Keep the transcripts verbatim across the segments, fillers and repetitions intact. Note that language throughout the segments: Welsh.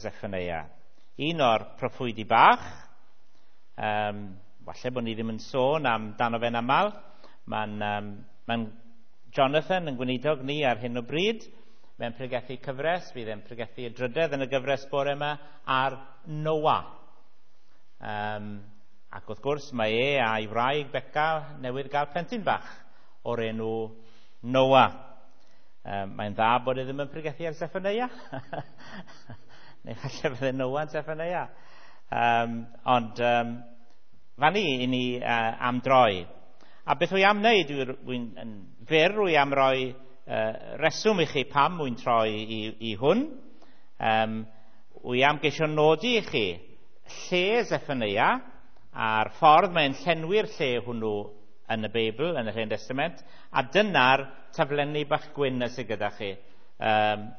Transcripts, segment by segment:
Zephaneia. Un o'r proffwydi bach, um, falle bod ni ddim yn sôn amdano fe'n aml, mae'n um, mae Jonathan yn gweinidog ni ar hyn o bryd, mae'n pregethu cyfres, fydd e'n pregethu y drydedd yn y gyfres bore yma, ar Noah. Um, ac wrth gwrs mae e a'i wraig Beca newydd gael plentyn bach o'r enw Noah. Um, mae'n dda bod e ddim yn pregethu ar Zephaneia. Neu falle fydde Noah yn Zephaneia. Um, ond um, fan ni i ni uh, am droi. A beth wy am wneud, wy'n yn fyr, wy am roi uh, reswm i chi pam wy'n troi i, i hwn. Um, wy am geisio nodi i chi lle Zephaneia a'r ffordd mae'n llenwi'r lle hwnnw yn y Beibl, yn yr Hen Testament, a dyna'r taflenni bach gwyn sydd gyda chi um,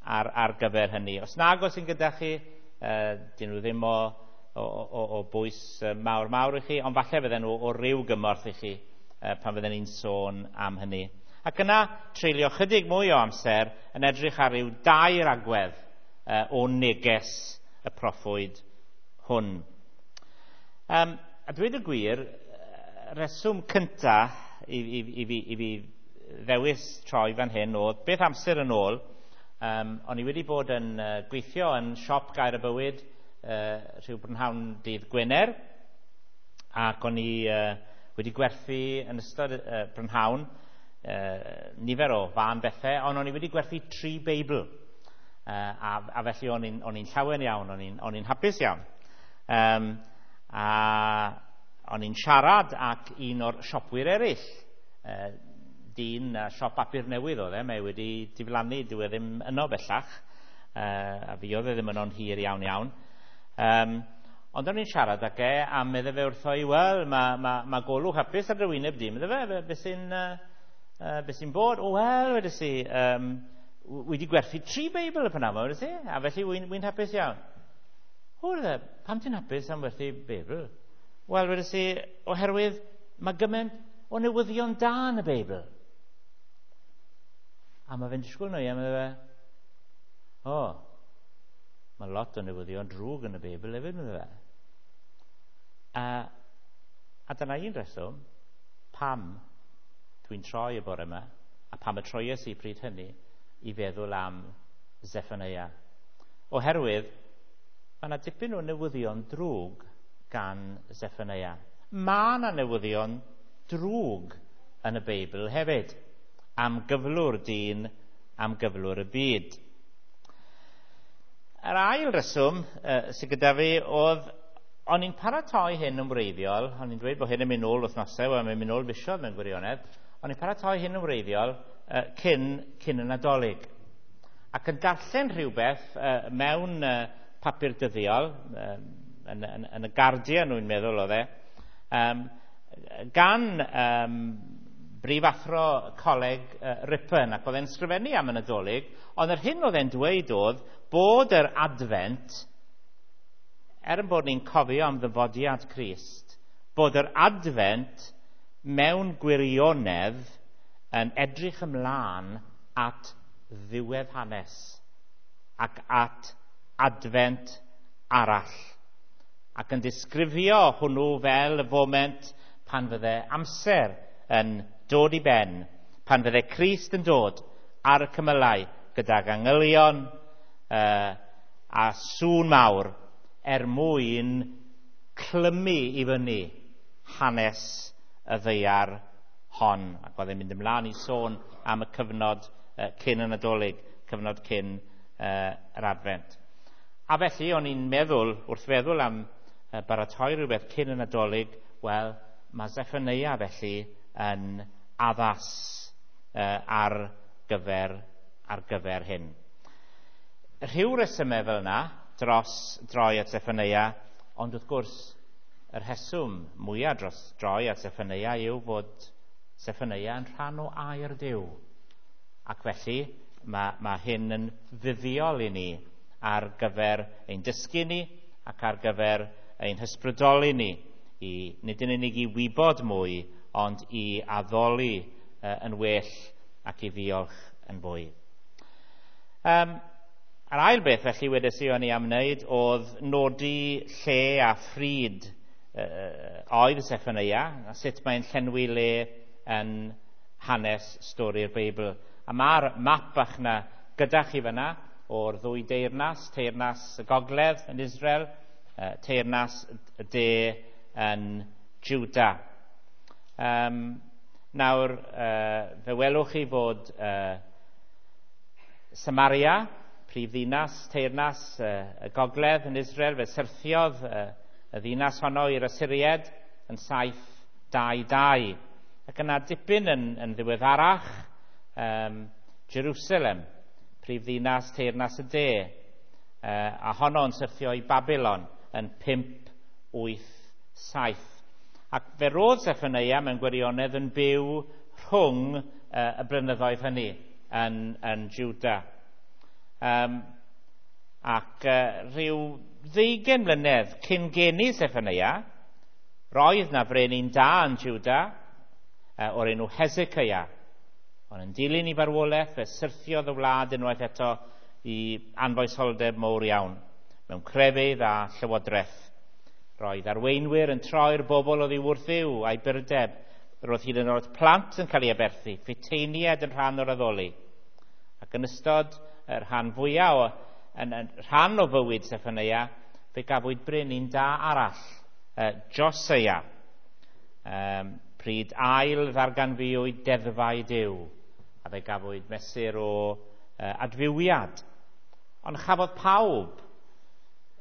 ar, ar gyfer hynny. Os nag oes yn gyda chi, uh, dyn nhw ddim o, o, o, o bwys mawr mawr i chi, ond falle fydden nhw o ryw gymorth i chi uh, pan fydden ni'n sôn am hynny. Ac yna treulio chydig mwy o amser yn edrych ar ryw dair agwedd uh, o neges y proffwyd hwn. Um, a dweud y gwir, reswm cynta i, i, i, fi, i fi ddewis troi fan hyn oedd beth amser yn ôl, um, o'n i wedi bod yn uh, gweithio yn siop Gair y Bywyd uh, rhyw brynhawn dydd Gwener, ac o'n i uh, wedi gwerthu yn ystod uh, brynhawn uh, nifer o fân bethau, ond o'n i wedi gwerthu tri Beibl, uh, a, a felly o'n i'n, o'n i'n llawen iawn, o'n i'n, o'n i'n hapus iawn. Um, a o'n i'n siarad ac un o'r siopwyr eraill, uh, dyn uh, siop bapur newydd oedd e, mae wedi diflannu, dyw e ddim yno bellach, uh, a fi oedd e ddim yno'n hir iawn iawn. Um, ond o'n i'n siarad ag e, a medde fe wrtho i, wel, mae ma, ma golwg hapus ar dy wyneb di, medde fe, be sy'n uh, uh, be sy'n bod? O, wel, wedes i, um, wedi gwerthu tri Beibl y prynhawn, wedes i, a felly wy'n wy hapus iawn. O, pam ti'n hapus am werthu Beibl? Wel, wedes i, oherwydd mae gymaint o newyddion da yn y Beibl. A mae fe'n disgwyl nhw, a mae fe, o, mae lot o newyddion drwg yn y Beibl hefyd, medde fe. A, a dyna un reswm pam dwi'n troi y bore yma, a pam y troies i pryd hynny, i feddwl am Zephaneia. Oherwydd, mae yna dipyn o newyddion drwg gan Zephaneia. Mae yna newyddion drwg yn y Beibl hefyd, am gyflwr dyn, am gyflwr y byd. Yr ail reswm uh, sydd gyda fi oedd, o'n i'n paratoi hyn yn wreiddiol, o'n i'n dweud bod hyn yn mynd nôl wythnosau, wel mae'n mynd nôl fisoedd mewn gwirionedd, o'n i'n paratoi hyn yn wreiddiol uh, cyn, cyn y Nadolig. Ac yn darllen rhywbeth uh, mewn uh, papur dyddiol, um, yn, yn, yn y Guardian wy'n meddwl oedd e, um, gan um, brifathro coleg uh, Ripon, ac oedd e'n sgrifennu am y Nadolig, ond yr hyn oedd e'n dweud oedd bod yr Advent, er yn bod ni'n cofio am ddyfodiad Crist, bod yr Advent mewn gwirionedd yn edrych ymlaen at ddiwedd hanes ac at Advent arall, ac yn disgrifio hwnnw fel y foment pan fydde amser yn dod i ben, pan fydde Crist yn dod ar y cymylau gydag angylion uh, a sŵn mawr er mwyn clymu i fyny hanes y ddaear hon. Ac oedd e'n mynd ymlaen i sôn am y cyfnod uh, cyn y Nadolig, cyfnod cyn uh, yr Advent. A felly o'n i'n meddwl, wrth feddwl am uh, baratoi rhywbeth cyn y Nadolig, wel, mae Zephaneia felly yn addas uh, ar gyfer, ar gyfer hyn. Rhyw resymau fel yna dros droi at Zephaneia, ond wrth gwrs, y rheswm mwyaf dros droi at Zephaneia yw fod Zephaneia yn rhan o air Duw. Ac felly mae, mae hyn yn fuddiol i ni ar gyfer ein dysgu ni ac ar gyfer ein hysbrydoli ni, i, nid yn unig i wybod mwy, ond i addoli uh, yn well ac i ddiolch yn fwy. Um, A'r ail beth felly wedes i o'n i am wneud oedd nodi lle a phryd uh, oedd Seffoneia, a sut mae'n llenwi le yn hanes stori'r Beibl. A mae'r map bach 'na gyda chi fyna o'r ddwy deyrnas, teyrnas y gogledd yn Israel, teyrnas y de yn Juda. Um, nawr, uh, fe welwch chi fod uh, Samaria, prif ddinas, teyrnas uh, y gogledd yn Israel, fe syrthiodd uh, y ddinas honno i'r Asyried yn saith dau dau. Ac yna dipyn yn, yn ddiweddarach, um, Jerusalem, prif ddinas teyrnas y de, uh, a honno yn syrthio i Babylon yn pump wyth saith. Ac fe roedd Seffoneia mewn gwirionedd yn byw rhwng uh, y blynyddoedd hynny yn, yn Juda. Um, ac uh, rhyw ddeugain mlynedd cyn geni Seffoneia, roedd na frenin da yn Juda uh, o'r enw Hezekiah. Ond yn dilyn i farwolaeth, fe syrthiodd y wlad unwaith eto i anfoesoldeb mowr iawn, mewn crefydd a llywodraeth. Roedd arweinwyr yn troi'r bobl oddi wrth Dduw a'i burdeb. Roedd hyd yn oed plant yn cael ei aberthu, ffiteiniaid yn rhan o'r addoli. Ac yn ystod y rhan fwyaf o, yn, yn rhan o fywyd Seffoneia, fe gafwyd brenin da arall, uh, Joseia, um, pryd ail ddarganfuwyd deddfau Duw, a fe gafwyd mesur o uh, adfywiad. Ond chafodd pawb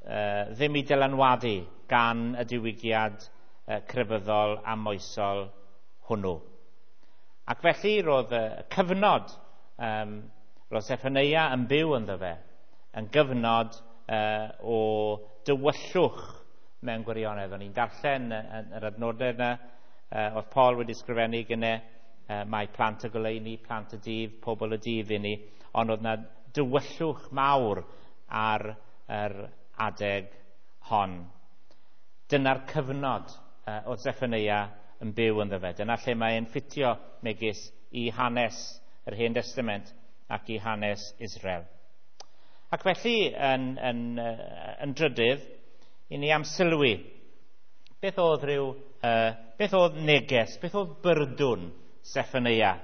uh, ddim i dylanwadu gan y diwygiad uh, crefyddol a moesol hwnnw. Ac felly roedd y cyfnod um, roedd Seffoneia yn byw ynddo fe, yn gyfnod uh, o dywyllwch mewn gwirionedd. O'n i'n darllen yr adnodau yna, uh, oedd Paul wedi sgrifennu gynne, uh, mae plant y goleuni, plant y dydd, pobl y dydd i ni, ond oedd yna dywyllwch mawr ar yr adeg hon. Dyna'r cyfnod uh, oedd Seffoneia yn byw ynddo fe. Dyna lle mae'n ffitio megis i hanes yr Hen Testament ac i hanes Israel. Ac felly, yn, yn, yn drydydd, i ni am sylwi. Beth oedd rhyw, uh, beth oedd neges, beth oedd byrdwn Seffoneia,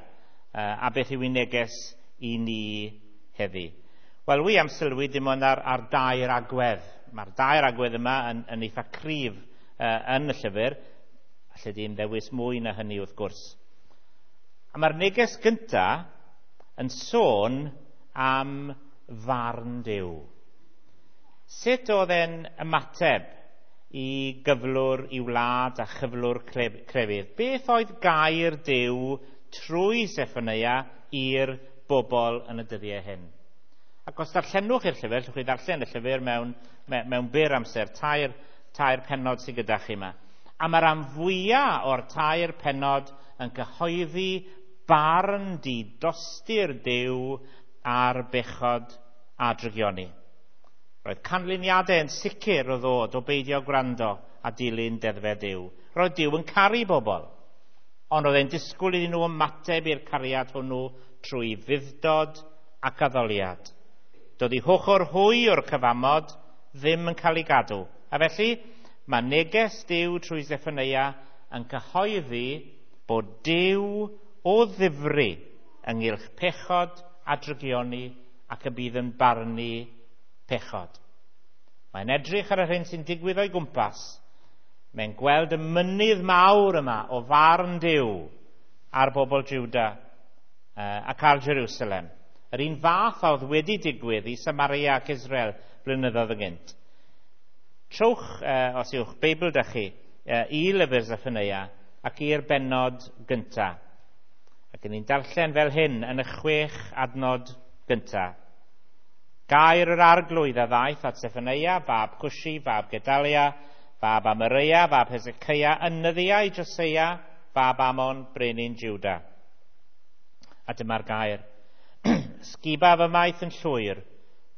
uh, a beth yw ei neges i ni heddi? Wel, wi am sylwi dim ond ar, ar dair agwedd. Mae'r dair agwedd yma yn, yn eitha cryf uh, yn y llyfr. Alle di'n ddewis mwy na hynny wrth gwrs. A mae'r neges gynta yn sôn am farn Duw. Sut oedd e'n ymateb i gyflwr i wlad a chyflwr crefydd? Beth oedd gair Duw trwy Seffoneia i'r bobl yn y dyddiau hyn? Ac os darllenwch i'r llyfr, allwch chi ddarllen y llyfr mewn, mewn byr amser, tair, tair pennod sydd gyda chi yma. A mae'r rhan fwyaf o'r tair pennod yn cyhoeddi barn didostur Duw ar bechod a drygioni. Roedd canlyniadau yn sicr o ddod o beidio gwrando a dilyn deddfau Duw. Roedd Duw yn caru bobl, ond oedd e'n disgwyl iddyn nhw ymateb i'r cariad hwnnw trwy fudd-dod ac addoliad. Doedd eu hochr hwy o'r cyfamod ddim yn cael ei gadw. A felly, mae neges Duw trwy Seffoneia yn cyhoeddi bod Duw o ddifri ynghylch pechod a drygioni ac y bydd yn barnu pechod. Mae'n edrych ar yr hyn sy'n digwydd o'i gwmpas. Mae'n gweld y mynydd mawr yma o farn Duw ar bobl Juda ac ar Jerusalem. Yr un fath a oedd wedi digwydd i Samaria ac Israel blynyddoedd ynghynt. Trowch, eh, os yw'ch Beibl da chi, eh, i lyfr Seffoneia ac i'r bennod gynta. Ac ni'n darllen fel hyn yn y chwech adnod gynta. Gair yr arglwydd a ddaeth at Seffoneia, fab Cwshi, fab Gedalia, fab Amareia, fab Hezekiah, yn nyddiau Joseia, fab Amon, brenin Juda. A dyma'r gair. Ysgubaf ymaith yn llwyr,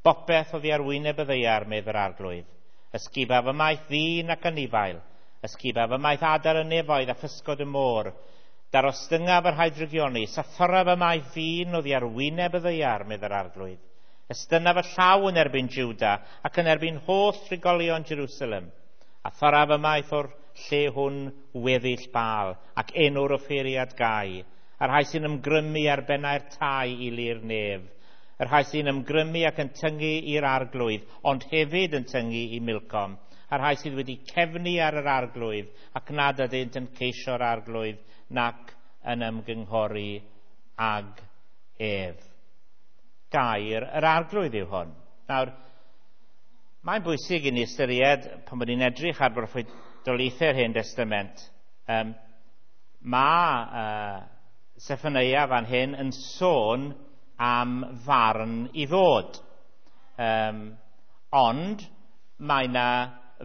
bopeth oddi ar wyneb y ddaear, medd yr arglwydd. Ysgubaf ymaith ddyn ac anifail, ysgubaf ymaith adar y nefoedd a physgod y môr. Darostyngaf yr rhai drygioni, sathoraf ymaith ddyn oddi ar wyneb y ddaear, medd yr arglwydd. Estynnaf y llaw yn erbyn Juda ac yn erbyn holl trigolion Jerusalem, a thorraf ymaith o'r lle hwn weddill Baal ac enw'r offeiriad gau, a'r rhai sy'n ymgrymu ar bennau'r tai i lu'r nef, y rhai sy'n ymgrymu ac yn tyngu i'r arglwydd, ond hefyd yn tyngu i Milcom, a'r rhai sydd wedi cefnu ar yr arglwydd ac nad ydynt yn ceisio'r arglwydd nac yn ymgynghori ag ef. Gair yr arglwydd yw hwn. Nawr, mae'n bwysig i ni ystyried pan bod ni'n edrych ar broffwydoliaethau'r Hen Destament, um, mae uh, Seffoneia fan hyn yn sôn am farn i ddod. Um, ond mae yna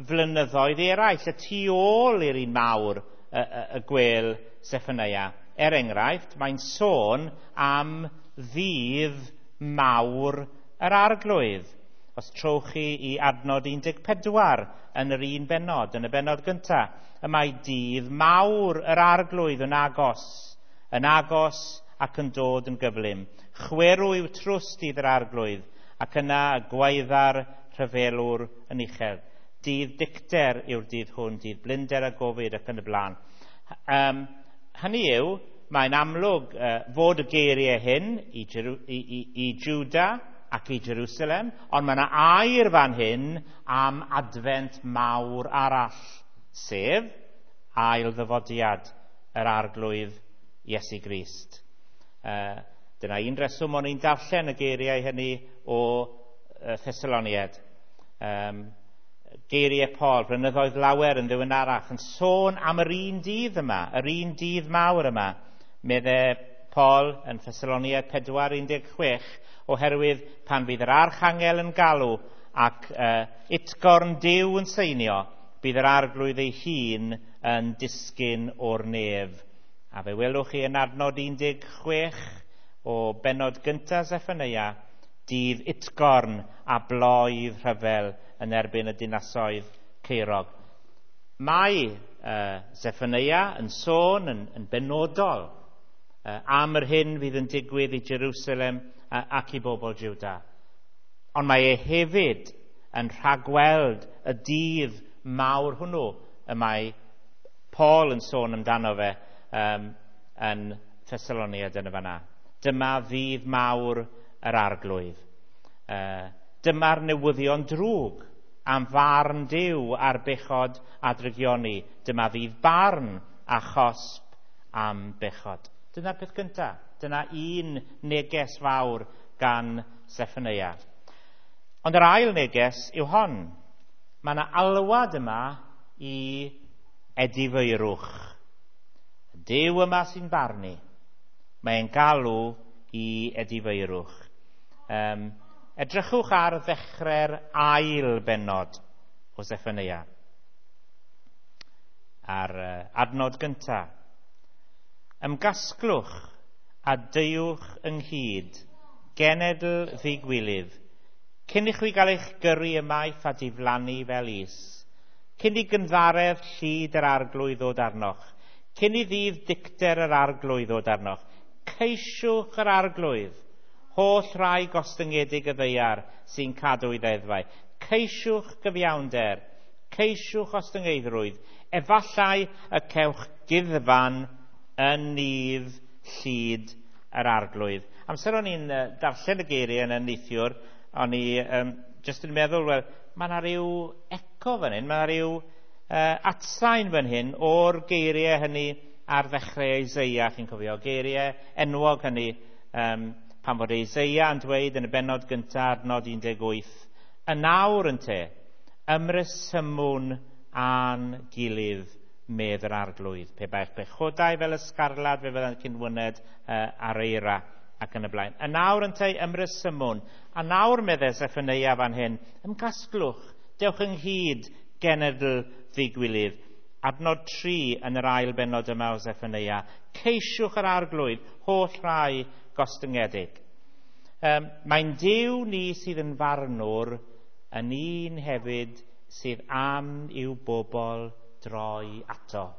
flynyddoedd eraill y tu ôl i'r un mawr y, y, y gwel Seffoneia. Er enghraifft, mae'n sôn am ddydd mawr yr arglwydd. Os trowch chi i adnod un deg pedwar yn yr un bennod, yn y bennod gyntaf, y mae dydd mawr yr arglwydd yn agos, yn agos ac yn dod yn gyflym. Chwerw yw trws dydd yr arglwydd, ac yna gwaedda'r rhyfelwr yn uchel. Dydd dicter yw'r dydd hwn, dydd blinder a gofid ac yn y blaen. Um, hynny yw, mae'n amlwg uh, fod y geiriau hyn i, Jeru, i, i, i Juda ac i Jerusalem, ond mae yna air fan hyn am adfent mawr arall, sef ail ddyfodiad yr arglwydd Iesu Grist. Uh, dyna un reswm o'n i'n darllen y geiriau hynny o uh, Thessaloniaid. Um, geiriau Paul, blynyddoedd lawer yn ddiweddarach, yn sôn am yr un dydd yma, yr un dydd mawr yma, medde Paul yn Thessaloniaid pedwar un deg chwech, oherwydd pan fydd yr archangel yn galw ac uh, utgorn Duw yn seinio, bydd yr arglwydd ei hun yn disgyn o'r nef. A fe welwch chi yn adnod un deg chwech o bennod gyntaf Seffoneia, dydd utgorn a bloedd rhyfel yn erbyn y dinasoedd caerog. Mae uh, Seffoneia yn sôn yn, yn benodol uh, am yr hyn fydd yn digwydd i Jerusalem uh, ac i bobl Juda. Ond mae e hefyd yn rhagweld y dydd mawr hwnnw y mae Paul yn sôn amdano fe um, yn Thessaloniaid yn y fanna. Dyma ddydd mawr yr arglwydd. Uh, dyma'r newyddion drwg am farn Duw ar bechod a drygioni. Dyma ddydd barn a chosb am bechod. Dyna'r peth gyntaf. Dyna un neges fawr gan Seffoneia. Ond yr ail neges yw hon. Mae yna alwad yma i edifeirwch. Duw yma sy'n barnu. Mae'n galw i edifeirwch. Um, edrychwch ar ddechrau'r ail bennod o Seffoneia. Ar uh, adnod gyntaf. Ymgasglwch a deuwch ynghyd, genedl ddigwilydd, cyn i chwi gael eich gyrru ymaith a diflannu fel is, cyn i gynddaredd llid yr arglwydd ddod arnoch, cyn i ddydd dicter yr arglwydd ddod arnoch, ceisiwch yr arglwydd, holl rai gostyngedig y ddaear sy'n cadw ei ddeddfau. Ceisiwch gyfiawnder, ceisiwch ostyngeiddrwydd, efallai y cewch guddfan yn nydd llid yr arglwydd. Amser o'n i'n darllen y geiriau yn y neithiwr, o'n i um, jyst yn meddwl, wel, mae yna rhyw eco fan hyn, mae yna rhyw uh, atsain fan hyn o'r geiriau hynny ar ddechrau Eseia, chi'n cofio, geiriau enwog hynny, um, pan fod Eseia yn dweud yn y bennod gyntaf, adnod un deg wyth, y nawr ynte, ymresymwn â'n gilydd, medd yr arglwydd. Pe bai'ch pechodau fel ysgarlad, fe fyddant cyn wyned uh, ar eira ac yn y blaen. Y nawr ynte, ymresymwn. A nawr, medde Seffoneia fan hyn, ymgasglwch, dewch ynghyd, genedl ddigwilydd. Adnod tri yn yr ail bennod yma o Seffoneia. Ceisiwch yr arglwydd, holl rai gostyngedig. Um, mae'n Duw ni sydd yn farnwr, yn un hefyd sydd am i'w bobl droi ato.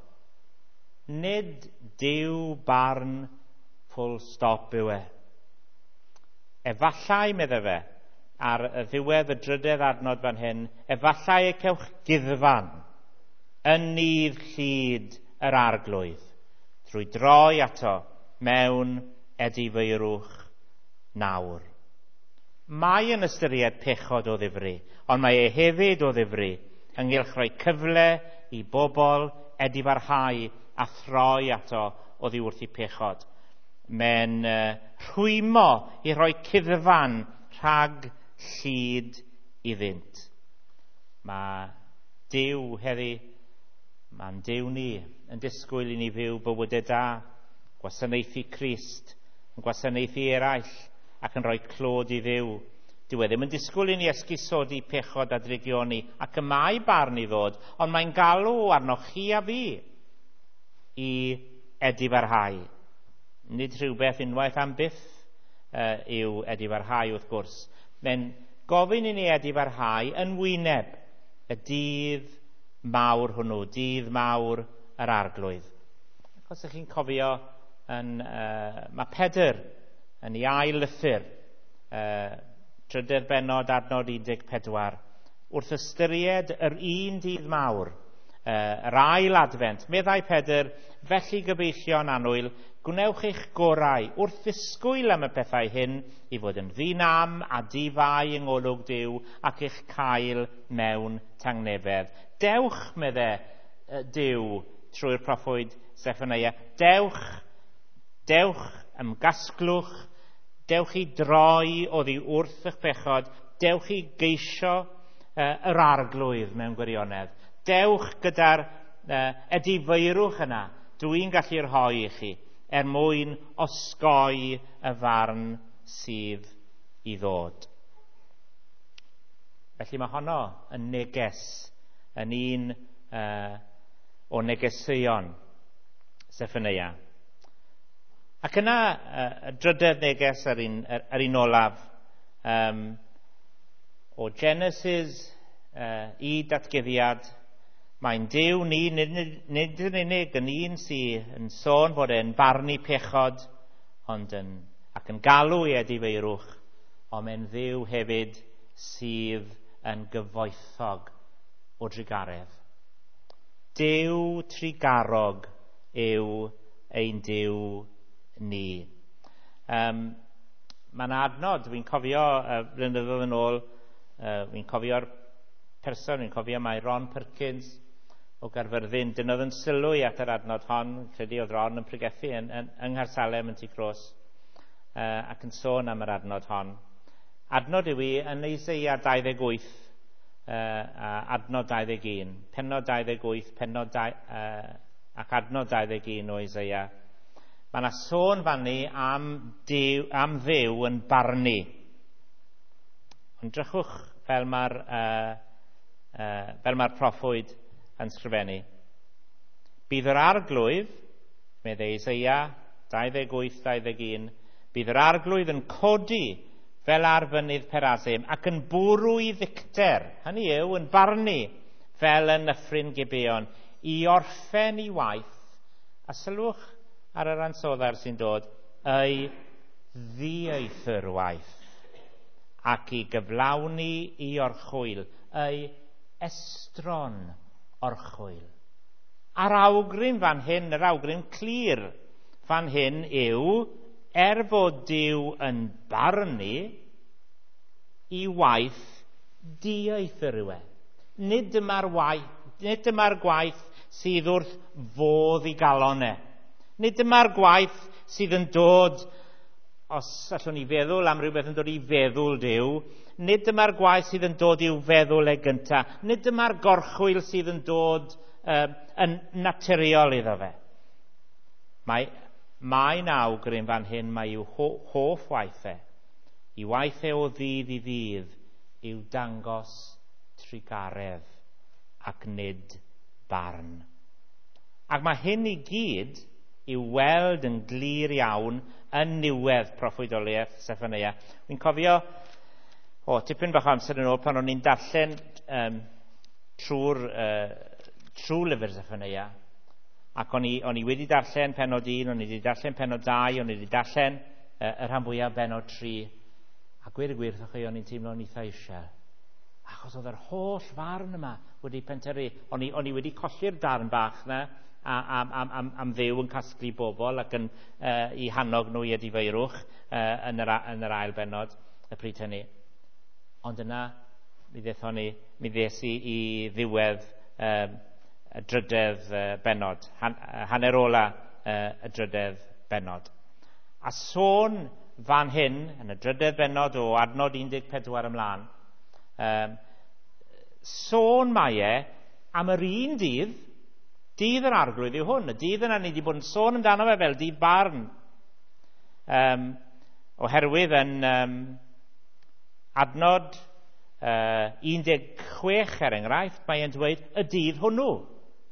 Nid Duw barn full stop yw e. Efallai, medde fe, ar y ddiwedd y drydedd adnod fan hyn, efallai y cewch guddfan yn nydd llid yr Arglwydd, drwy droi ato mewn edifeirwch nawr. Mae yn ystyried pechod o ddifri, ond mae e hefyd o ddifri ynghylch rhoi cyfle i bobl edifarhau a throi ato oddi wrth eu pechod. Mae'n uh, rhwymo i rhoi cuddfan rhag llid iddynt. Mae Duw heddi, mae'n Duw ni yn disgwyl i ni fyw bywydau da, gwasanaethu Crist, yn gwasanaethu eraill ac yn rhoi clod i Dduw. Dyw e ddim yn disgwyl i ni esgusodi pechod a drygioni, ac y mae barn i ddod, ond mae'n galw arnoch chi a fi i edifarhau. Nid rhywbeth unwaith am byth uh, yw edifarhau wrth gwrs. Mae'n gofyn i ni edifarhau yn wyneb y dydd mawr hwnnw, dydd mawr yr Arglwydd. Ac os ydych chi'n cofio, yn, uh, mae Pedr yn ei ail lythyr, uh, trydedd bennod adnod un deg pedwar, wrth ystyried yr un dydd mawr, uh, yr ail adfent, meddai Pedr, felly gyfeillion annwyl, gwnewch eich gorau wrth ddisgwyl am y pethau hyn i fod yn ddi-nam a di-fai yng ngolwg Duw ac eich cael mewn tangnefedd. Dewch, medde Duw trwy'r proffwyd Seffoneia, dewch, dewch, ymgasglwch, dewch i droi oddi wrth eich pechod, dewch i geisio uh, yr Arglwydd mewn gwirionedd. Dewch gyda'r uh, edifeirwch yna, dwi'n gallu rhoi i chi, er mwyn osgoi y farn sydd i ddod. Felly mae honno yn neges, yn un uh, o negeseuon Seffoneia. Ac yna, y drydedd neges yr un, yr un olaf, um, o Genesis uh, i datguddiad, mae'n Duw ni, nid, nid yn unig yn un sydd yn sôn fod e'n barnu pechod, ond yn, ac yn galw i edifeirwch, ond mae'n Dduw hefyd sydd yn gyfoethog o drugaredd. Duw trugarog yw ein Duw ni. Um, Mae'n adnod, fi'n cofio uh, blynyddoedd yn ôl, uh, fi'n cofio'r person, fi'n cofio mai Ron Perkins o Gaerfyrddin, dynnodd yn sylw i at yr adnod hon, credu oedd Ron yn pregethu yn, yn, yng Nghaersalem yn Tŷ Croes, uh, ac yn sôn am yr adnod hon. Adnod yw i yn Eseia dau ddeg wyth, uh, a adnod dau ddeg un, pennod dau ddeg wyth, pennod dau, uh, ac adnod dau ddeg un o Eseia. Mae yna sôn fanni am, Duw, am Dduw yn barnu. Ond drychwch fel mae'r uh, uh, fel mae'r proffwyd yn sgrifennu. Bydd yr Arglwydd, meddai Eseia dau ddeg wyth dau ddeg un, bydd yr Arglwydd yn codi fel ar fynydd Perasim ac yn bwrw i ddicter, hynny yw, yn barnu fel yn Nyffryn Gibeon, i orffen i waith, a sylwch ar yr ansoddair sy'n dod, ei ddieithr waith, ac i gyflawni i orchwyl, ei estron orchwyl. A'r awgrym fan hyn, yr awgrym clir fan hyn yw, er fod Duw yn barnu, i waith dieithr yw e. Nid dyma'r waith, nid dyma'r gwaith sydd wrth fodd i galon e. Nid dyma'r gwaith sydd yn dod, os allwn ni feddwl am rhywbeth yn dod i feddwl Duw, nid dyma'r gwaith sydd yn dod i'w feddwl e gynta. Nid dyma'r gorchwyl sydd yn dod uh, yn naturiol iddo fe. Mae, mae'n awgrym fan hyn, mae i'w ho, hoff waith e. I waith e o ddydd i ddydd yw dangos trugaredd ac nid barn. Ac mae hyn i gyd i'w weld yn glir iawn yn niwedd proffwydoliaeth Seffoneia. Fi'n cofio, o, tipyn bach o amser yn ôl pan o'n i'n darllen um, trwy'r uh, trwy lyfr Seffoneia, ac o'n i, o'n i wedi darllen pennod un, o'n i wedi darllen pennod dau, o'n i wedi darllen uh, y rhan fwyaf bennod tri, A gweud y gwir wrthych chi, o'n i'n teimlo'n eitha eisiau. Achos oedd yr holl farn yma wedi pentyrru. O'n i, o'n i wedi colli'r darn bach na am, am, am, am Dduw yn casglu bobl ac yn uh, i hannog nhw i edifeirwch uh, yn, yr, yn yr ail bennod y pryd hynny. Ond yna, mi ddethon ni, mi ddes i i ddiwedd um, y drydedd uh, bennod, han, hanner ola uh, y drydedd bennod. A sôn fan hyn, yn y drydedd bennod o adnod un deg pedwar ymlaen, um, sôn mae e am yr un dydd, dydd yr Arglwydd yw hwn, y dydd yna ni wedi bod yn sôn amdano fe fel dydd barn. Um, oherwydd yn um, adnod uh, un deg chwech er enghraifft, mae e'n dweud y dydd hwnnw,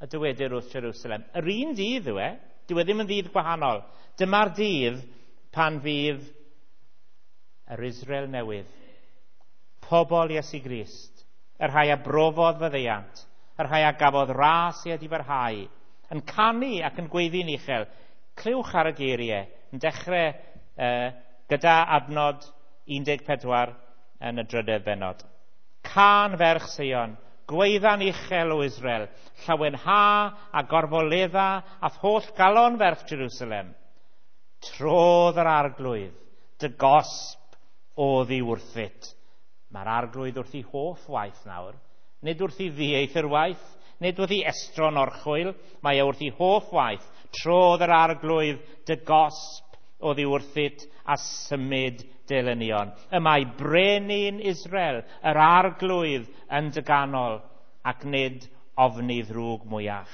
y dywedir wrth Jerusalem. Yr un dydd yw e, dyw e ddim yn ddydd gwahanol. Dyma'r dydd pan fydd yr Israel newydd, pobl Iesu Grist, y rhai a brofodd faddeuant, y rhai a gafodd ras i edifarhau, yn canu ac yn gweiddi'n uchel. Clywch ar y geiriau, yn dechrau uh, gyda adnod un deg pedwar yn y drydedd bennod. Cân ferch Seion, gweidda'n uchel o Israel, llawenha a gorfoledda a holl galon ferch Jerusalem. Trodd yr Arglwydd, dy gosb oddi wrthyt. Mae'r Arglwydd wrth ei hoff waith nawr, nid wrth ei ddieithr waith, nid wrth ei estron orchwyl, mae e wrth ei hoff waith. Trodd yr Arglwydd, dy gosb oddi wrthyt a symud delynion. Y mae brenin Israel, yr Arglwydd, yn dy ganol, ac nid ofni ddrwg mwyach.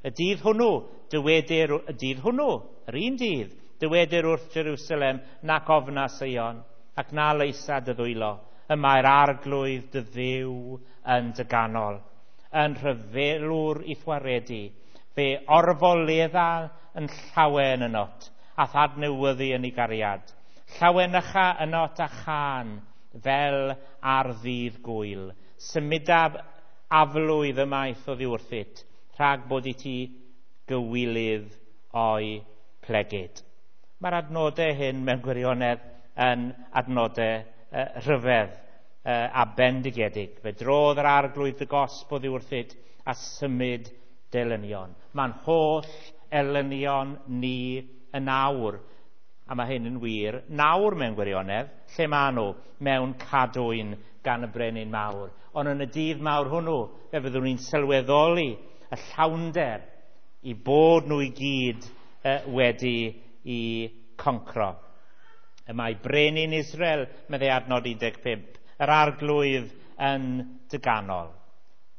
Y dydd hwnnw, dywedir, y dydd hwnnw, yr un dydd, dywedir wrth Jerusalem, nac ofna Seion, ac na leisa dy ddwylo. Y mae'r Arglwydd dy Dduw yn dy ganol, yn rhyfelwr i'th waredu, fe orfoledda yn llawen ynot, a thadnewyddu yn ei gariad. Llawenycha ynot a chân fel ar ddydd gwyl. Symudaf aflwydd ymaith oddi wrthyt, rhag bod i ti gywilydd o'i plegid. Mae'r adnodau hyn mewn gwirionedd yn adnodau uh, rhyfedd uh, a bendigedig. Fe drodd yr Arglwydd dy gosb oddi wrthyt a symud delynion. Mae'n holl elynion ni yn awr, a mae hyn yn wir, nawr mewn gwirionedd, lle maen nhw? Mewn cadwyn gan y brenin mawr. Ond yn y dydd mawr hwnnw, fe fyddwn ni'n sylweddoli y llawnder i bod nhw i gyd uh, wedi i concro. Y mae brenin Israel, meddai adnod un deg pump, yr Arglwydd yn dy ganol.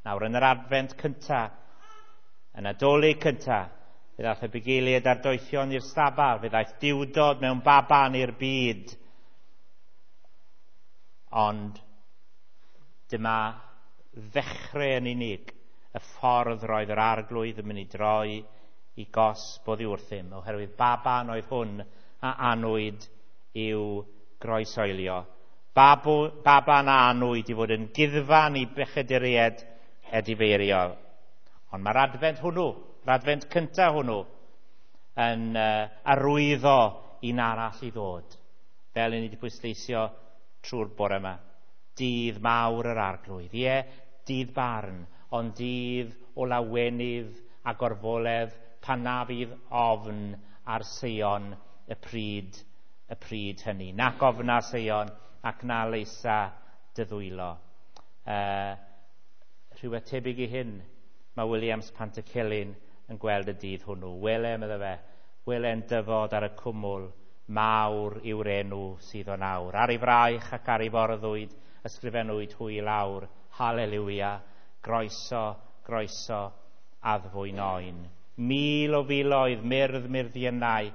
Nawr, yn yr adfent cynta, yn Nadolig cynta, fe ddaeth y bugeiliaid a'r doethion i'r stabal, fe ddaeth diwdod mewn baban i'r byd. Ond dyma ddechrau yn unig y ffordd roedd yr Arglwydd yn mynd i droi i gosb oddi wrthym, oherwydd baban oedd hwn a anwyd i'w groesoelio. Babu, baban a anwyd i fod yn guddfan i bechaduriaid edifeiriol. Ond mae'r adfent hwnnw, yr adfent cyntaf hwnnw, yn uh, arwyddo un arall i ddod, fel ni wedi pwysleisio trwy'r bore yma. Dydd mawr yr Arglwydd, ie, dydd barn, ond dydd o lawenydd a gorfoledd pan na fydd ofn ar Seion y pryd, y pryd hynny. Nac ofna Seion ac na leisa dy ddwylo. Uh, rhywbeth tebyg i hyn, mae Williams Pantycelyn yn gweld y dydd hwnnw. Wele, medde fe, wele'n dyfod ar y cwmwl, mawr yw'r enw sydd o nawr. Ar ei fraich ac ar ei forddwyd, ysgrifennwyd hwy i lawr. Haleluia, groeso, groeso, addfwyn oen. Mil o filoedd, myrdd myrddiynau,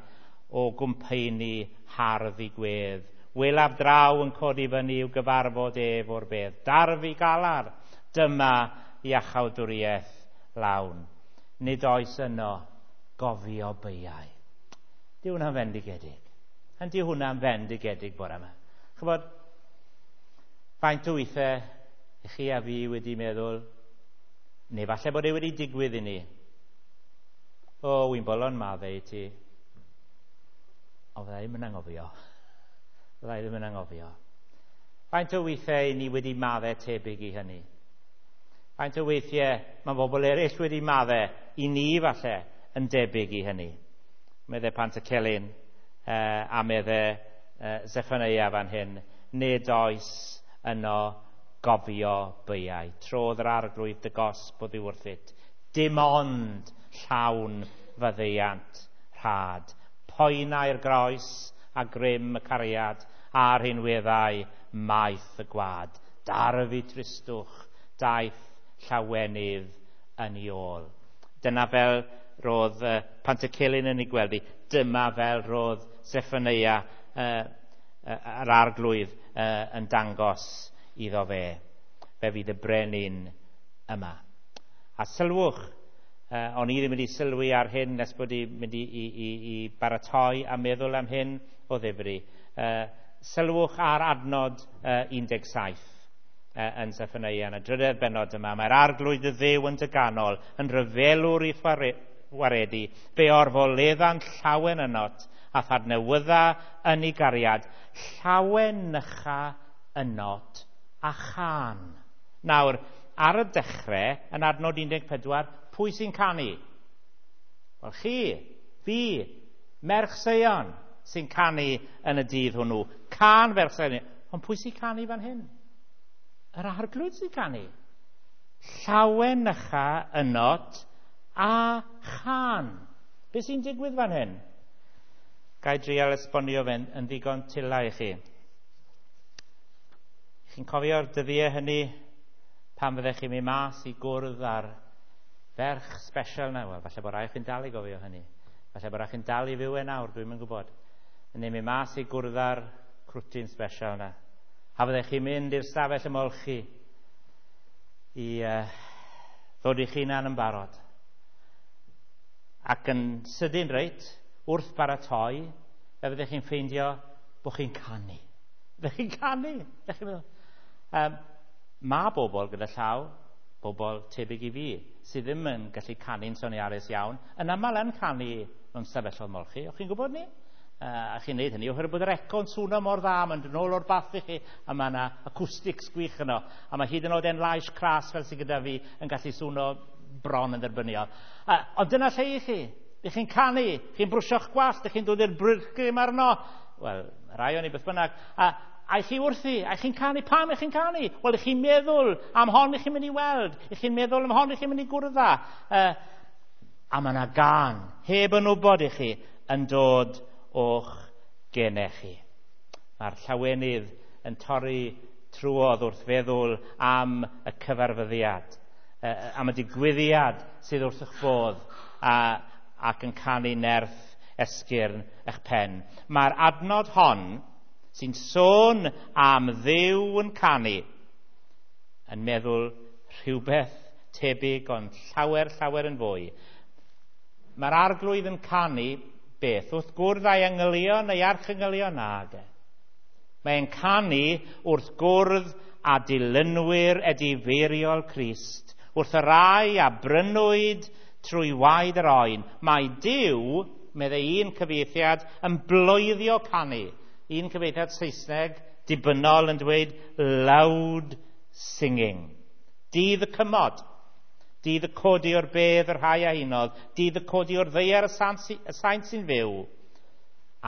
o gwmpeini hardd i gwedd. Welaf draw yn codi fyny i'w gyfarfod ef o'r bedd. Darfu galar, dyma iachawdwriaeth lawn. Nid oes yno gofio beiau. Di hwnna'n fendigedig. Yndi hwnna'n fendigedig bore yma. Chybod, faint o weithiau i chi a fi wedi meddwl, neu falle bod e wedi digwydd i ni. O, wy'n bolon maddau i ti. Ond fydda i ddim yn anghofio. Fydda i ddim yn anghofio. Faint o weithiau ni wedi maddau tebyg i hynny? Faint o weithiau mae bobl eraill wedi maddau i ni falle yn debyg i hynny? Meddai Pantycelyn uh, a meddai uh, Zeffaneia fan hyn, nid oes yno gofio beiau. Trodd yr arglwydd dy gosb oddi wrthyt. Dim ond llawn faddeuant rhad. Poenau'r groes a grym y cariad a'r rhinweddau maith y gwad. Darfu tristwch, daeth llawenydd yn ei ôl. Dyna fel roedd uh, Pantycelyn yn ei gweld hi. Dyma fel roedd Zeffaneia uh, uh, yr arglwydd uh, yn dangos iddo fe. Fe fydd y brenin yma. A sylwch, uh, o'n i ddim wedi sylwi ar hyn nes bod i'n mynd i, i, i, i baratoi a meddwl am hyn o ddifri. Uh, sylwch ar adnod uh, un deg saith uh, yn Zeffaneia yn y drydedd bennod yma. Mae'r arglwydd y Dduw yn dy ganol, yn rhyfelwr i'th waredu, fe orfoledda'n llawen ynot, a thadnewydda yn ei gariad, llawen nycha ynot a chan. Nawr, ar y dechrau, yn adnod un deg pedwar, pwy sy'n canu? Wel, chi, fi, merch Seion, sy'n canu yn y dydd hwnnw. Can ferch Seion. Ond pwy sy'n canu fan hyn? Yr arglwydd sy'n canu. Llawen nycha ynot a chan. Be sy'n digwydd fan hyn? Ga i drial esbonio fe'n yn ddigon tila i chi. Chi'n cofio'r dyddiau hynny pan fyddech chi'n mynd mas i gwrdd â'r ferch special na? Wel, falle bod rai chi'n dal i gofio hynny. Falle bod rai chi'n dal i fyw e nawr, dwi'n yn gwybod. Yn mynd mas i gwrdd â'r crwtyn special na. A fyddech chi'n mynd i'r stafell ymolchi i uh, ddod i'ch hunan yn barod. Ac yn sydyn reit, wrth baratoi, fe fyddech chi'n ffeindio bod chi'n canu. Fyddech chi'n canu. Fyddech chi'n meddwl. Um, mae bobl gyda llaw, bobl tebyg i fi, sydd ddim yn gallu canu'n soniarus iawn, yn aml yn canu mewn stafelloedd molchi. O'ch chi'n gwybod ni? Uh, a chi'n neud hynny oherwydd bod yr eco'n swnio mor dda, mae'n dod nôl o'r bath i chi, a mae yna acoustics gwych yno. A mae hyd yn oed en lais cras fel sydd gyda fi yn gallu swnio bron yn dderbyniol. Uh, ond dyna lle i chi. Ych chi'n canu, chi'n brwsio'ch gwallt, ych chi'n dod i'r bryrgrim arno. Wel, rai o'n i beth bynnag. A, a chi wrthi, a chi'n canu, pam ych chi'n canu? Wel, ych chi'n meddwl am hon ych chi'n mynd i weld, ych chi'n meddwl am hon ych chi'n mynd i gwrdd â. Uh, a mae yna gan, heb yn wybod i chi, yn dod o'ch genau chi. Mae'r llawenydd yn torri trwodd wrth feddwl am y cyfarfyddiad, uh, am y digwyddiad sydd wrth eich bodd, a, ac yn canu nerth esgyrn eich pen. Mae'r adnod hon sy'n sôn am Dduw yn canu yn meddwl rhywbeth tebyg ond llawer, llawer yn fwy. Mae'r arglwydd yn canu beth? Wrth gwrdd â'i angylion neu archangylion? Nage. Mae'n canu wrth gwrdd â dilynwyr edifeiriol Crist, wrth y rai a brynwyd trwy waed yr oen. Mae Duw, meddai un cyfieithiad, yn bloeddio canu. Un cyfieithiad Saesneg dibynnol yn dweud loud singing. Dydd y cymod, dydd y codi o'r bedd yr rhai a hunodd, dydd y codi o'r ddaear y saint sy'n fyw,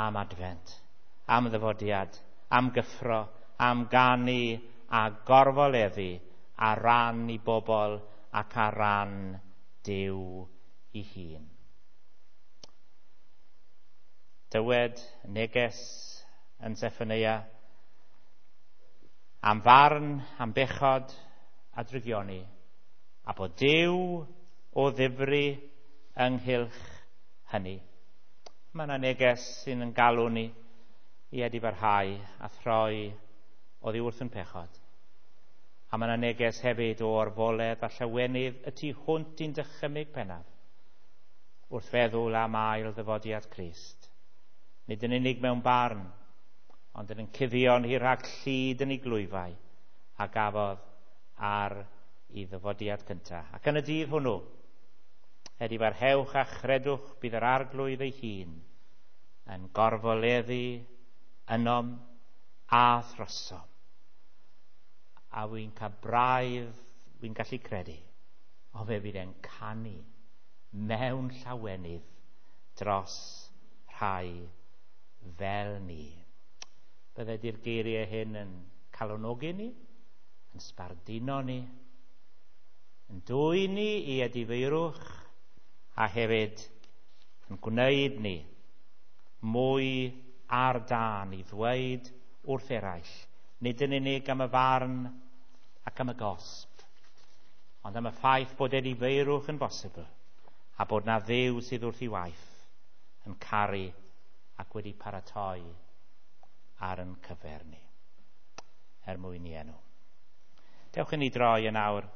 am adfent, am ddyfodiad, am gyffro, am ganu a gorfoleddu ar ran i bobl ac ar ran Duw ei hun. Dywed neges yn Zeffaneia am farn, am bechod a drygioni, a bod Duw o ddifri ynghylch hynny. Mae yna neges sy'n yn galw ni i edifarhau a throi oddi wrth yn pechod. A mae yna neges hefyd o orfoledd a llawenydd y tu hwnt i'n dychymyg pennaf wrth feddwl am ail ddyfodiad Crist. Nid yn unig mewn barn, ond yn cuddio ni rhag llid yn ei glwyfau a gafodd ar ei ddyfodiad cyntaf. Ac yn y dydd hwnnw, edifarhewch a chredwch bydd yr arglwydd ei hun yn gorfoleddu ynom a throsom. A wy'n cael braidd, wy'n gallu credu, o fe fydd e'n canu mewn llawenydd dros rhai fel ni. Bydde di'r geiriau hyn yn calonogi ni, yn sbarduno ni, yn dwyn ni i edifeirwch, a hefyd yn gwneud ni mwy ar dân i ddweud wrth eraill, nid yn unig am y farn ac am y gosb, ond am y ffaith bod edifeirwch yn bosibl a bod 'na Dduw sydd wrth ei waith yn caru ac wedi paratoi ar yn cyfer ni, er mwyn i enw. Dewch i ni droi yn awr.